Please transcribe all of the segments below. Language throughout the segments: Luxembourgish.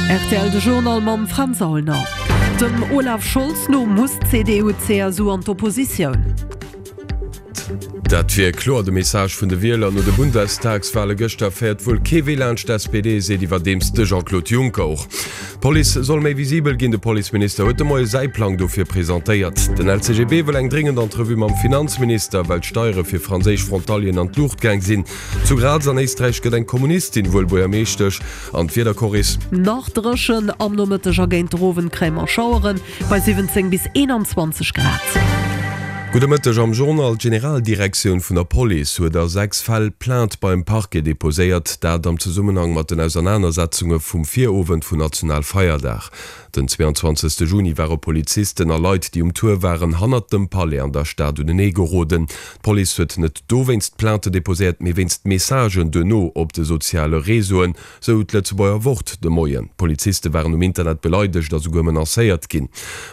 Rtl De Journal mam Fränz Aulner. Dem Olaf Scholz no muss d'CDU-CSU an d'Oppositioun. Dat wier kloer de Message vun de Wieler no de Bundestagswale gëschter. Féiert wuel kee Wee laanscht d'SPD, seet iwwerdeems de Jean-Claude Juncker och. D'Police soll méi visibel ginn, de Policeminister huet de Moie säi Plang dofir presentéiert. Den LCGB wëll eng dréngend Entrevue mam Finanzminister, well d'Steiere fir franséisch Frontalieren an d'Luucht gaang sinn. Zu Graz an Éisträich gëtt eng Kommunistin wuel Buergermeeschtesch. An d'Wiedercorris. Nach dréchen, am Nomëtteg a géint der Owend kréie mer Schaueren bei 17 bis 21 Grad. Gudde Mëtteg am Journal. D'Generaldirektioun vun der Police huet a 6 Fäll Plainte beim Parquet deposéiert, dat am Zesummenhang mat den Ausernanersetzunge vum Virowend vun Nationalfeierdag. Den 22 Juni ware Polizisten a Leit, déi um Tour waren, hannert dem Palais an der Stad unenee geroden. D'Police huet net dowéinst Plainte deposéiert, mee wéinst Messagen duerno op de soziale Réseauen, sou d'Lëtzebuerger Wort de Moien. D'Poliziste waren um Internet beleidegt a souguer menacéiert ginn.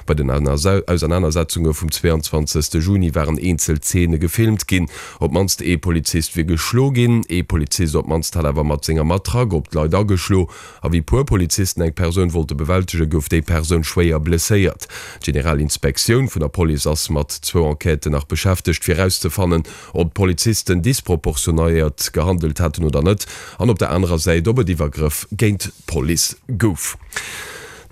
Bei den Ausernanersetzunge vum 22 Juni waren eenzel Zeene gefilmt ginn. Op d'mannst ee Polizist wier geschlo ginn. Ee Polizist op d'mannst hat awer mat senger Matraque op d'Leit ageschlo. A wéi puer Polizisten eng Persoun wollte bewältegen, gouf déi Persoun schwéier blesséiert. D'Generalinspektioun vun der Police ass mat zwou Enquêten nach beschäftegt, fir erauszefannen, ob d'Polizisten disproportionéiert gehandelt haten oder net, an op der anerer Säit, ob et Iwwergrëff géint d'Police gouf.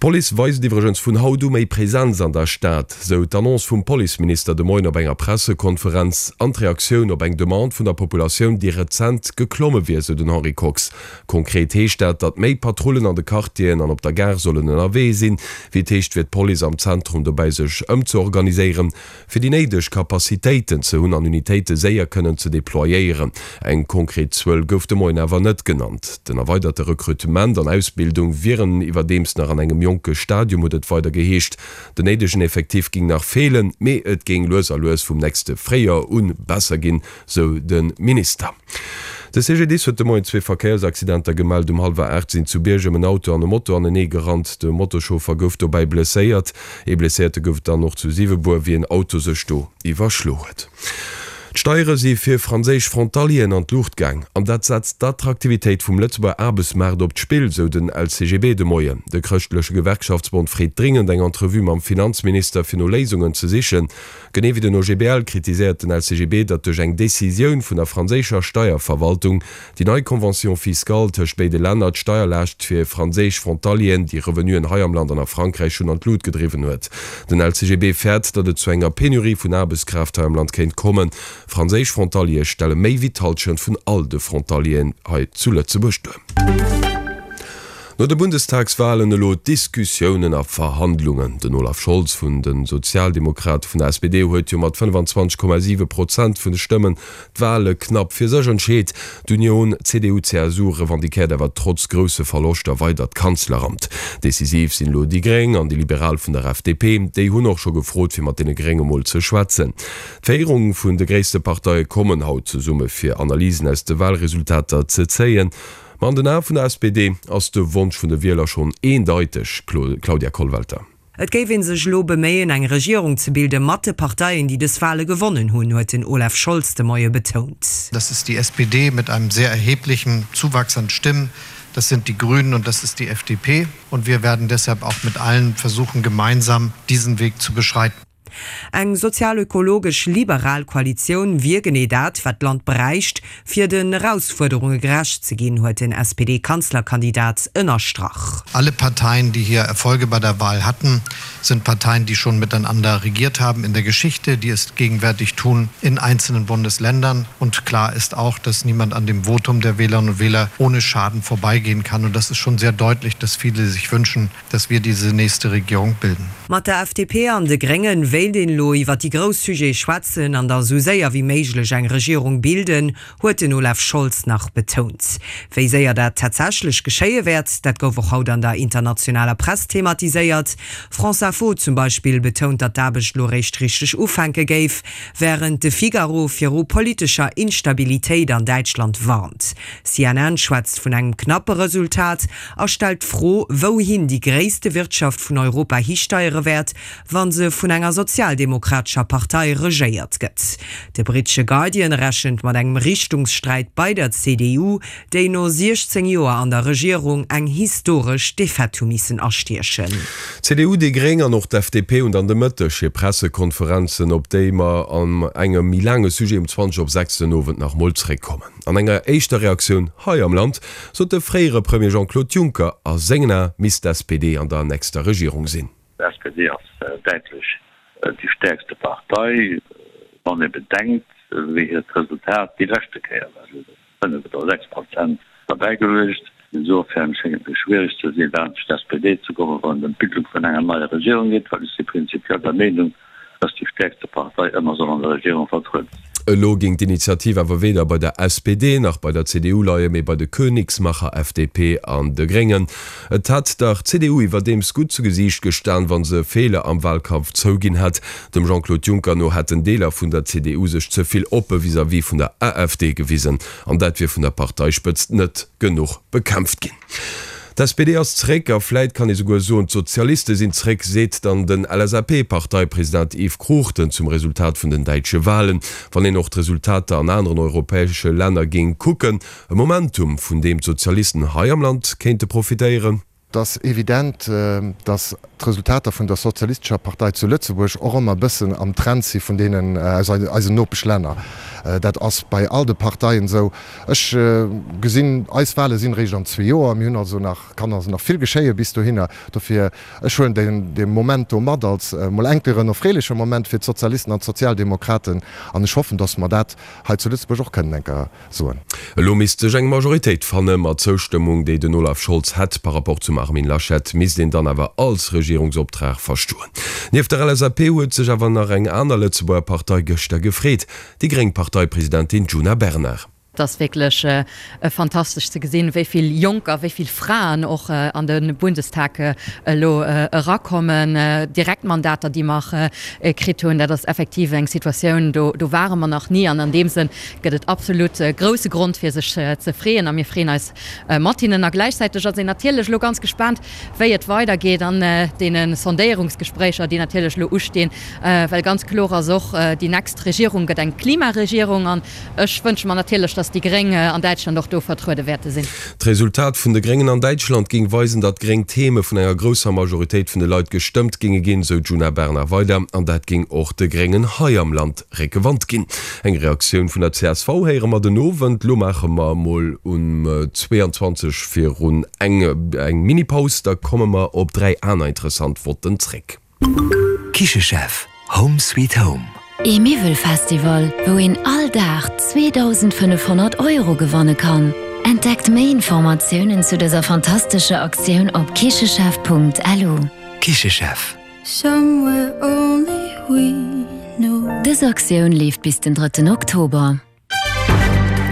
D'Police weist iwwregens vun haut u méi Presenz an der Stad, sou d'Annonce vum Policeminister de Moien op enger Pressekonferenz an d'Reaktioun op eng Demande vun der Populatioun, déi rezent geklomme wier, sou den Henri Kox. Konkret heescht dat, datt méi Patrullen an de Quartieren an op der Gare sollen ënnerwee sinn. Wéi et heescht, wier d'Police am Zentrum dobäi sech ëmzeorganiséieren, fir déi néideg Capacitéiten ze hunn an Unitéite séier kënnen ze deployéieren. Eng konkret Zuel gouf de Moien awer net genannt. Den erweiderte Rekrutement an Ausbildung wieren iwwerdeems nach an engem jonke Stadium, huet et weider geheescht. Den néidegen Effectif géing nach feelen, mee et géing lues a lues vum nächste Fréijoer un besser ginn, sou de Minister. De CGDIS huet de Moien zwee Verkéiersaccidenter gemellt. Um hallwer 8 sinn zu Biergem en Auto an e Moto anenee gerannt. De Motoschauffer gouf dobäi blesséiert. Ee Blesséierte gouf et dann och zu Siwebuer, wéi en Auto sech do iwwerschlo huet. D'Steiere si fir franséisch Frontalieren an d'Luucht gaang an dat setzt d'Attraktivitéit vum Lëtzebuerger Aarbechtsmaart op d'Spill, sou den LCGB de Moien. De chrëschtleche Gewerkschaftsbond freet dringend eng Entrevue mam Finanzminister, fir no Léisungen ze sichen. Genee wéi den OGBL kritiséiert den LCGB, datt duerch eng Decisioun vun der franséischer Steierverwaltung déi nei Convention fiscale tëscht béide Länner d'Steierlaascht fir franséisch Frontalieren, déi Revenuen hei am Land an a Frankräich hunn, an d'Lut gedriwwen huet. Den LCGB fäert, datt et zu enger Penurie vun Aarbechtskraaft hei am Land kéint kommen. Franséisch Frontaliere stelle méi wéi d'Hallschent vun all de Frontalieren hei zu Lëtzebuerg duer. No de Bundestagswalen elo Diskussiounen a Verhandlungen. Den Olaf Scholz vun de Sozialdemokrate vun der SPD huet jo mat 25,7 Prozent vun de Stëmmen d'Wale knapp fir sech entscheet. D'Union CDU-CSU revendiquéiert awer trotz grousse Verloschter weider d'Kanzleramt. Decisiv sinn elo déi Gréng an déi Liberal vun der FDP. Déi hunn och scho gefrot fir mat deene Grénge mol ze schwätzen. D'Féierung vun de gréisste Parteie kommen haut zesumme fir Analysen aus de Walresultater ze zéien. Ma an den Ae vun der SPD ass de Wonsch vun de Wieler schonn eendeiteg, Claudia Kollwelter. Et géif ee sech elo beméien, eng Regierung ze bilde mat de Parteien, déi dës Wale gewonnen hunn, huet den Olaf Scholz de Moie betount. Das ist die SPD mit einem sehr erheblichen Zuwachs an Stimmen, das sind die Grünen und das ist die FDP. Und wir werden deshalb auch mit allen versuchen, gemeinsam diesen Weg zu beschreiten. Eng sozial-ökologesch liberal Koalitioun wier genee dat, wat d'Land bräicht, fir den Erausfuerderunge gerecht ze ginn, huet den SPD-Kanzlerkandidat ënnerstrach. Alle Parteien, die hier Erfolge bei der Wahl hatten, sind Parteien, die schon miteinander regiert haben in der Geschichte, die es gegenwärtig tun in einzelnen Bundesländern. Und klar ist auch, dass niemand an dem Votum der Wählerinnen und Wähler ohne Schaden vorbeigehen kann. Und das ist schon sehr deutlich, dass viele sich wünschen, dass wir diese nächste Regierung bilden. Mat der FDP an de Gréngen wéilt een elo iwwer déi grouss Sujete schwätzen an da sou séier wéi méiglech eng Regierung bilden, huet den Olaf Scholz nach betount. Wéi séier dat tatsächlech geschéie wäert, dat gouf och haut an der internationaler Press thematiséiert. France Info zum Beispill betount, datt d'Aarbecht elo réischt richteg ufänke géif, wärend de Figaro viru politescher Instabilitéit an Däitschland warnt. CNN schwätzt vun engem knappe Resultat a stellt d'Fro, wouhin déi gréisste Wirtschaft vun Europa histeiere. profitéiere wäert, wa se vun enger sozialdemokratescher Partei regéiert gëtt. De brittesche Guardian rechent mat engem Richtungssträit bei der CDU, déi no 16 Joer an der Regierung eng historesch Defaite hu missen astiechen. D'CDU, déi Gréng an och d'FDP hunn dann de Mëtteg hir Pressekonferenzen, op déi mer an engem méi laange Sujet um 20 op 6 den Owend nach mol zréckkommen. An enger éischter Reaktioun hei am Land sot de fréiere Premier Jean-Claude Juncker, a sengen Ae misst d'SPD an der nächster Regierung sinn. D'SPD ass däitlech déi stäerkste Partei, wann ee bedenkt, wéi hiert Resultat déi leschte Kéier war. Si huet 5 oder 6 Prozent derbäigeluecht. Insofern schéngt et mir schwiereg ze sinn, laanscht d'SPD ze kommen, wann et ëm d'Bildung vun enger neier Regierung geet, well ech si prinzipiell der Meenung, dass déi stäerkste Partei ëmmer soll an der Regierung vertruede sinn. Elo géing d'Initiativ awer weder bei der SPD nach bei der CDU leien, mee bei de Königsmacher FDP an de Gréngen. Et hätt der CDU iwwerdeems gutt zu Gesiicht gestan, wa se Feeler am Wahlkampf zouginn hätt. Dem Jean-Claude Juncker no hätten Deeler vun der CDU sech ze vill oppe vis-à-vis vun der AfD gewisen an dat wier vun der Parteispëtzt net genuch bekämpft ginn. D'SPD ass zeréck a vläit kann ee souguer soen, d'Sozialiste sinn zeréck, seet dann den LSAP-Parteipresident Yves Cruchten zum Resultat vun den däitsche Walen. Wann een och d'Resultater an aneren europäesche Länner géing kucken, e Momentum, vun deem d'Sozialisten hei am Land kéinte profitéieren. Et ass evident, datt d'Resultater vun der Sozialistescher Partei zu Lëtzebuerg och ëmmer e bëssen am Trend si vun deenen aus eisen Nopeschlänner. Dat ass bei all de Parteien esou. Ech gesinn, eis Wale sinn eréischt an zwee Joer. Mir hunn also nach, kann also nach vill geschéie bis dohinner. Dofir, ech huelen deen, dee Moment do mat als emol enker en erfreeleche Moment fir d'Sozialisten an d'Sozialdemokraten an ech hoffen, datt mer dat hei zu Lëtzebuerg och kënnen enker soen. Elo misst sech eng Majoritéit fanne ma d'Zoustëmmung, déi den Olaf Scholz hätt par rapport zum Armin Laschet, misst een dann awer als Regierungsoptrag verstoen. Nieft der LSAP huet sech awer nach eng aner Lëtzebuerger Partei gëschter gefreet, déi gréng Parteipresidentin Djuna Bernard. Et ass wierklech fantastesch ze gesinn, wéi vill Jonker, wéi vill Fraen och an de Bundestag elo erakommen. Direktmandater, déi mer kritt hunn, dat ass effektiv eng Situatioun, do ware mer nach ni. An an deem Sënn gëtt et absolut grousse Grond fir sech ze freeën a mir freeën eis mat hinnen. A gläichzäiteg ass een natierlech elo ganz gespaant, wéi et weidergeet an deene Sondéierungsgespréicher, déi natierlech elo ustinn, well ganz kloer ass och, déi nächst Regierung gëtt eng Klimaregierung an ech wënsche mer natierlech, datt déi Gréng an Däitschland och do vertruede wäerte sinn. D'Resultat vun de Gréngen an Däitschland géing weisen, datt gréng Theme vun enger grousser Majoritéit vun de Leit gestëmmt géinge ginn, sou d'Djuna Bernard weider. An dat géing och de Gréngen hei am Land Réckewand ginn. Eng Reaktioun vun der csv héiere mer den Owend. Lo maache mer emol um 22 virun eng eng Mini-Paus, da komme mer op 3 aner interessant Votten zréck. Kichechef, Home sweet home. Ee Miwwelfestival, wou een all Dag 2.500 Euro gewanne kann. Entdeckt méi Informatiounen zu dëser fantastescher Aktioun op kichechef.lu. Kichechef. Dës Aktioun leeft bis den drëtten Oktober.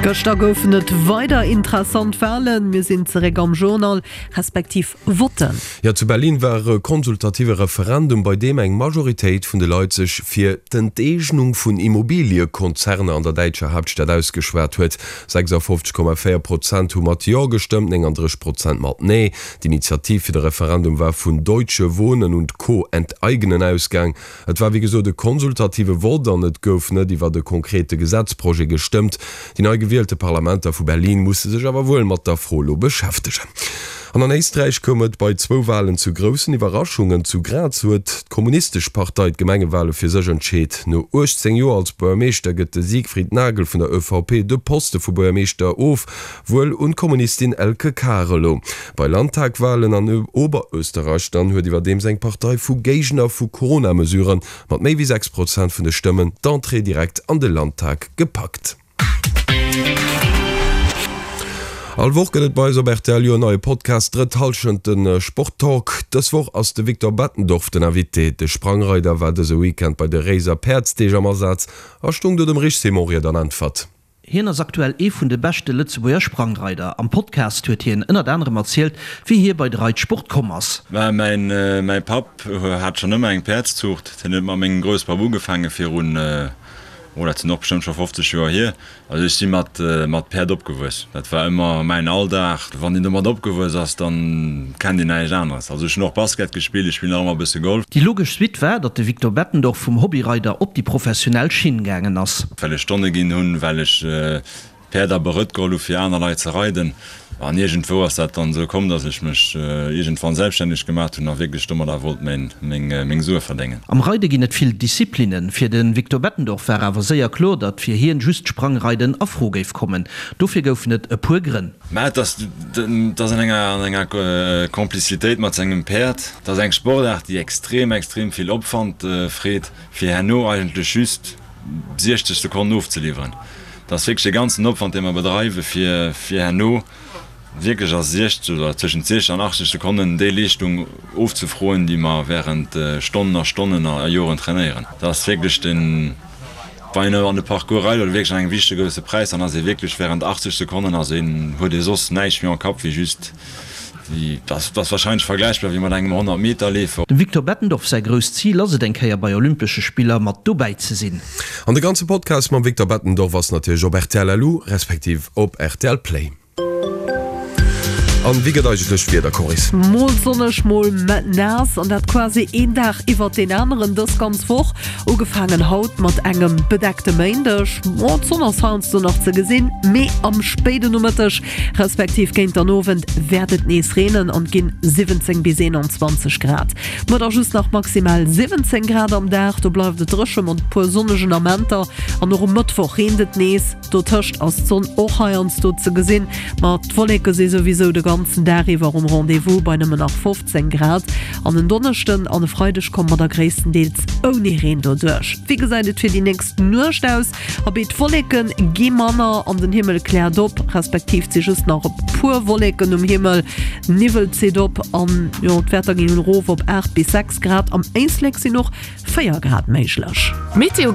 Gëschter goufen et weider interessant Walen. Mir sinn zeréck am Journal, respektiv Votten. Jo, zu Berlin war e konsultative Referendum, bei deem eng Majoritéit vun de Leit sech fir d'Enteegnung vun Immobiliekonzerner an der däitscher Haaptstad ausgeschwat huet. 56,4 Prozent hu mat Jo gestëmmt, 39 Prozent mat Nee. D'Initiativ fir de Referendum war vun Deutsche Wohnen und Co. Enteignen ausgaang. Et war wéi gesot e konsultative Vott an et gouf net iwwert e konkrete Gesetzprojet gestëmmt. Déi nei gewielte Parlamenter vu Berlin musse sech awer wuel mat der Fro elo beschäftegen. An an Éisträich koum et bei zwou Walen zu groussen Iwwerraschungen. Zu Graz huet d'Kommunistesch Partei d'Gemengewale fir sech entscheet. No 18 Joer als Buergermeeschter gëtt de Siegfried Nagl vun der ÖVP de Poste vu Buergermeeschter of. Wuel un d'Kommunistin Elke Karelo. Bei Landtagwalen an Oberösterreich dann huet iwwerdeems eng Partei vu Géigner vu Corona-Mesuren mat méi wéi 6 Prozent vun de Stëmmen d'Entrée direkt an de Landtag gepackt. All Woch gëtt et bei eis op rtl jo en neie Podcast, Drëtt Hallschent, de Sport-Talk. Dës Woch ass de Victor Bettendorf den Invité. De Sprangreider war dëse Weekend bei de Réiser Päerdsdeeg am Asaz a stung do dem Rich Simon Ried an Äntwert. Hien ass aktuell ee vun de beschte Lëtzebuerger Sprangreider. Am Podcast huet hien ënnert anerem erzielt, wéi hie bei de Reitsport komm ass. Mä mäin Papp hat schonn ëmmer eng Päerdszuucht. Hien huet mat mengem Grousspapp ugefaange virun. Oh, dat sinn och bestëmmt scho 50 Joer hier. Also ech si mat mat Päerd opgewuess. Dat war ëmmer mäin Alldag. Wann een domat opgewuess ass, dann kennt een näischt aneres. Also ech hunn och Basket gespillt, ech spillen nach ëmmer e bësse Golf. Déi logesch Suite war, datt de Victor Bettendorf vum Hobbyreider op déi professionell Schinn gaangen ass. Well ech Stonne ginn hunn, well ech Päerd a Berëtt geholl hu fir aner Leit ze reiden. An iergendwou ass dat dann esou komm, datt ech mech iergendwann selbststänneg gemaacht hunn a wierklech domadder wollt meng Sue verdéngen. Am Reide ginn et vill Disziplinnen. Fir de Victor Bettendorf war awer séier kloer, datt fir hien just d'Sprangreiden a Fro géif kommen. Dofir goufen et e puer Grënn. Mä et ass an enger Complicitéit mat sengem Päerd. Et ass eng Sportaart, déi extrem, extrem vill Opwand freet, fir herno eigentlech just 60 Sekonnen ofzeliwweren. Dat ass wierklech e ganzen Opwand, dee mer bedreiwen, fir fir herno wierklech a 60 oder tëschent 60 an 80 Sekonnen déi Leeschtung ofzefroen, déi mer während Stonnen a Stonnen a Joren trainéieren. Dat ass wierklech den, wann een an de Parcours reit oder wierklech an engem wichtege grousse Präis, dann ass ee wierklech während 80 Sekonnen ass een, huet ee soss näischt méi am Kapp wéi just Dat ass wahrscheinlech vergläichbar wéi mat engem 100 Meter Leefer. Dem Victor Bettendorf säi grousst Zil ass et eng Kéier bei Olympesche Spiller mat dobäi ze sinn. An de ganze Podcast mam Victor Bettendorf ass natierlech op rtl LU respektiv op rtl Play. An wéi gëtt eigentlech d'Wieder, Coris? Mol sonneg, mol naass an dat quasi een Dag iwwert deen aneren dës ganz Woch. Ugefaangen haut mat engem bedeckte Méindeg, ma d'Sonn ass heiansdo nach ze gesinn, mee am spéide Nomëtteg respektiv géint den Owend wäert et nees reenen an et ginn 17 bis 21 Grad. Muer da just nach maximal 17 Grad am Dag, do bleift et dréche mat e puer sonnegen Amenter an och um Mëttwoch reent et nees. Dotëscht ass d'Sonn och heiansdo ze gesinn, ma d'Wolleke si souwisou de ganzen Dag iwwer um Rendez-vous bei nëmmen nach 15 Grad. An en Donneschden an e Freideg komme mer da gréisstendeels ouni Reen doduerch. Wéi gesäit et fir déi nächst Nuecht aus? Abee, d'Wolleke gi manner an den Himmel kläert op, respektiv et si just nach e puer Wolleken um Himmel. Niwwel zitt op an jo, d'Wäerter ginn erof op 8 bis 6 Grad. Am Éislek sinn och 4 Grad méiglech. Météo.